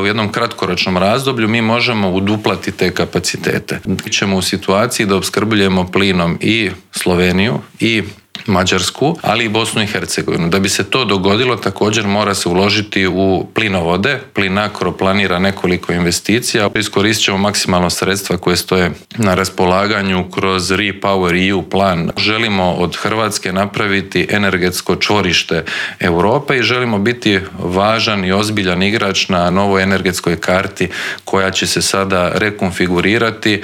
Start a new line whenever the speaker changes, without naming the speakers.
U jednom kratkoročnom razdoblju mi možemo uduplati te kapacitete. Ćemo u situaciji da opskrbljujemo plinom i Sloveniju i Mađarsku, ali i Bosnu i Hercegovinu. Da bi se to dogodilo, također mora se uložiti u plinovode. Plinacro planira nekoliko investicija. Iskoristit ćemo maksimalno sredstva koje stoje na raspolaganju kroz REPowerEU plan. Želimo od Hrvatske napraviti energetsko čvorište Europe i želimo biti važan i ozbiljan igrač na novoj energetskoj karti koja će se sada rekonfigurirati,